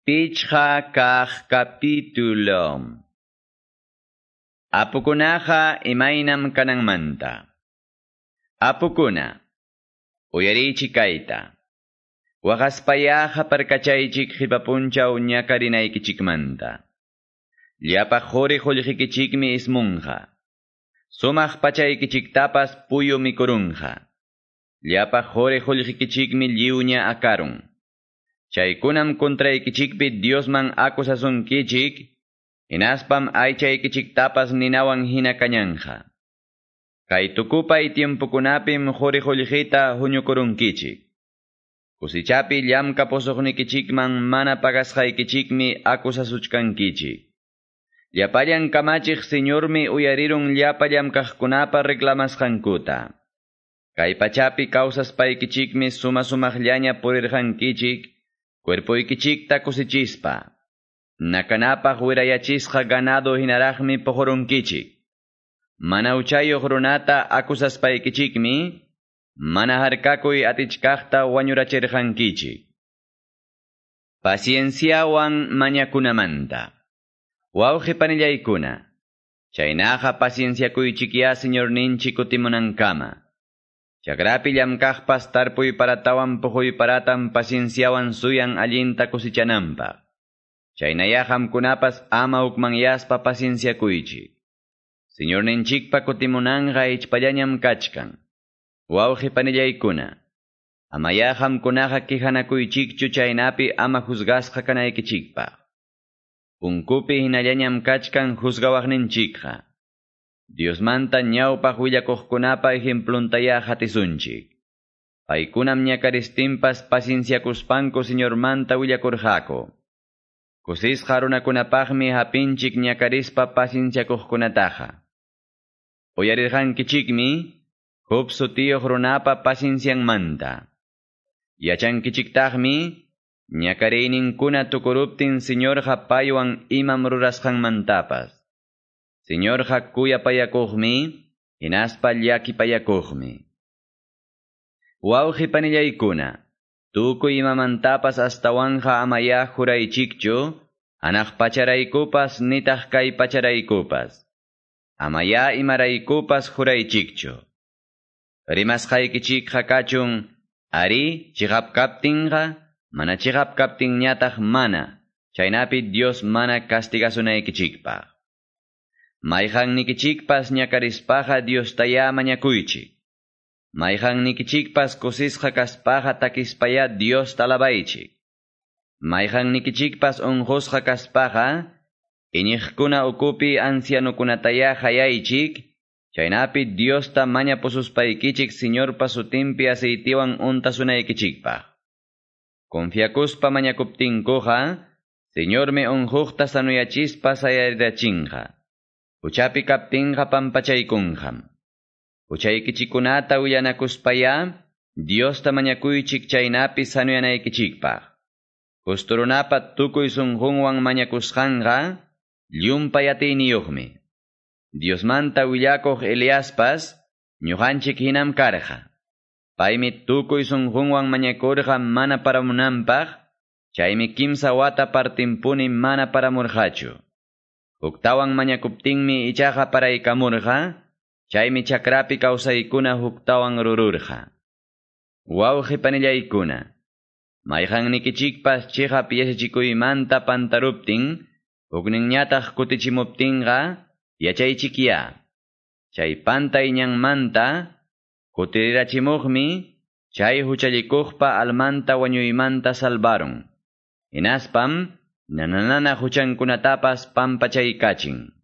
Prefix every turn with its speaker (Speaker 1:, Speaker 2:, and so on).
Speaker 1: Pichqa kaq capítulo. Apukunaqa imaynam kananmanta. Apukuna, uyarichik kayta. Waqaspayaqa parkachaychik qipapunchaw ñakarinaykichikmanta. Llapa quri qullqikichikmi ismunqa. Sumaq pachaykichiktapas puyu mikurunqa. Llapa quri qullqikichikmi lliwña akarun. Chaykunam contraykichikpi Diosman acusasunkichik, hinaspam aychaykichiktapas ninawan hina kañanja. Kay tukupay tiempokunapim quri qullqita huñukurunkichik. Kusichapi llamkapusuqnikichikman mana pagasqaykichikmi acusasuchkankichik. Llapallan kamachiq Señormi uyarirun llapa llamkaqkunapa reclamasqankuta. Kay pachapi kawsaspaykichikmi suma sumaqllaña purirqankichik, cuerpoykichikta kusichispa. Nakanapaq wirayachisqa ganado hinaraqmi puqurunkichik. Mana huchayuq runata acusaspaykichikmi, mana harkakuy atichkaqta wañurachirqankichik. Pacienciawan mañakunamanta. Wawqi panillaykuna, chaynaqa pacienciakuychikya Señorninchik kutimunankama. Chakrapi llamkaqpas tarpuy paratawan puquy paratam pacienciawan suyan allinta kusichananpaq. Chaynaya qamkunapas ama hukmanyaspa pacienciakuychik. Señorninchikpa kutimunanqa ichpallañam kachkan. Wawqi panillaykuna, amaya qamkunaqa quejanakuychikchu chaynapi ama juzgasqa kanaykichikpaq. Punkupi hinallañam kachkan juzgawaqninchikqa. Diosmanta ñawpaq willakuqkunapa ejempluntaya hatisunchik. Paykunam ñakaristinpas pacienciakuspanku Señormanta willakurqaku. Kusisqa runakunapaqmi hapinchik ñakarispa pacienciakuqkunataqa. Uyarirqankichikmi Job sutiyuq runapa paciencianmanta. Yachankichiktaqmi ñakariyninkuna tukuruptin Señorqa paywan imam rurasqanmantapas. Señorqa kuyapayakuqmi, hinaspa llakipayakuqmi. Wawqi panillaykuna, tukuy imamantapas astawanqa amaya juraychikchu, hanaq pacharaykupas nitaq kay pacharaykupas. Amaya imaraykupas juraychikchu. Rimasqaykichikqa kachun, ari chiqap kaptinqa, mana chiqap kaptinñataq mana, chaynapi Dios mana castigasunaykichikpaq. Mayqannikichikpas ñakarispaqa Diostaya mañakuychik. Mayqannikichikpas kusisqa kaspaqa takispaya Diosta alabaychik. Mayqannikichikpas unqusqa kaspaqa iñiqkuna ukupi ancianukunataya hayaychik, chaynapi Diosta mañapususpaykichik Señorpa sutinpi aceitiwan untasunaykichikpaq. Confiakuspa mañakuptinkuqa, Señormi unquqta sanuyachispa sayarirachinqa. Huchapi kaptinqa pampachaykunqam. Huchaykichikunata willanakuspaya, Diosta mañakuychik chaynapi sanuyanaykichikpaq. Justo runapa tukuy sunqunwan mañakusqanqa, llumpay atiyniyuqmi. Diosmanta willakuq Eliaspas, ñuqanchik hinam karqa. Paymi tukuy sunqunwan mañakurqa mana paramunanpaq, chaymi kimsa wata partinpuni mana paramurqachu. Huktawan mañakuptinmi ichaqa paraykamurqa, chaymi chakrapi kawsaykuna huktawan rururqa. Wawqi panillaykuna, mayqannikichikpas chiqap yachachikuymanta pantaruptin, hukninñataq kutichimuptinqa, yachaychikya. Chay pantay ñanmanta, kutirirachimuqmi, chay huchallikuqpa almanta wañuymanta salvarun. Hinaspam, nananana huchankunatapas pampachaykachin.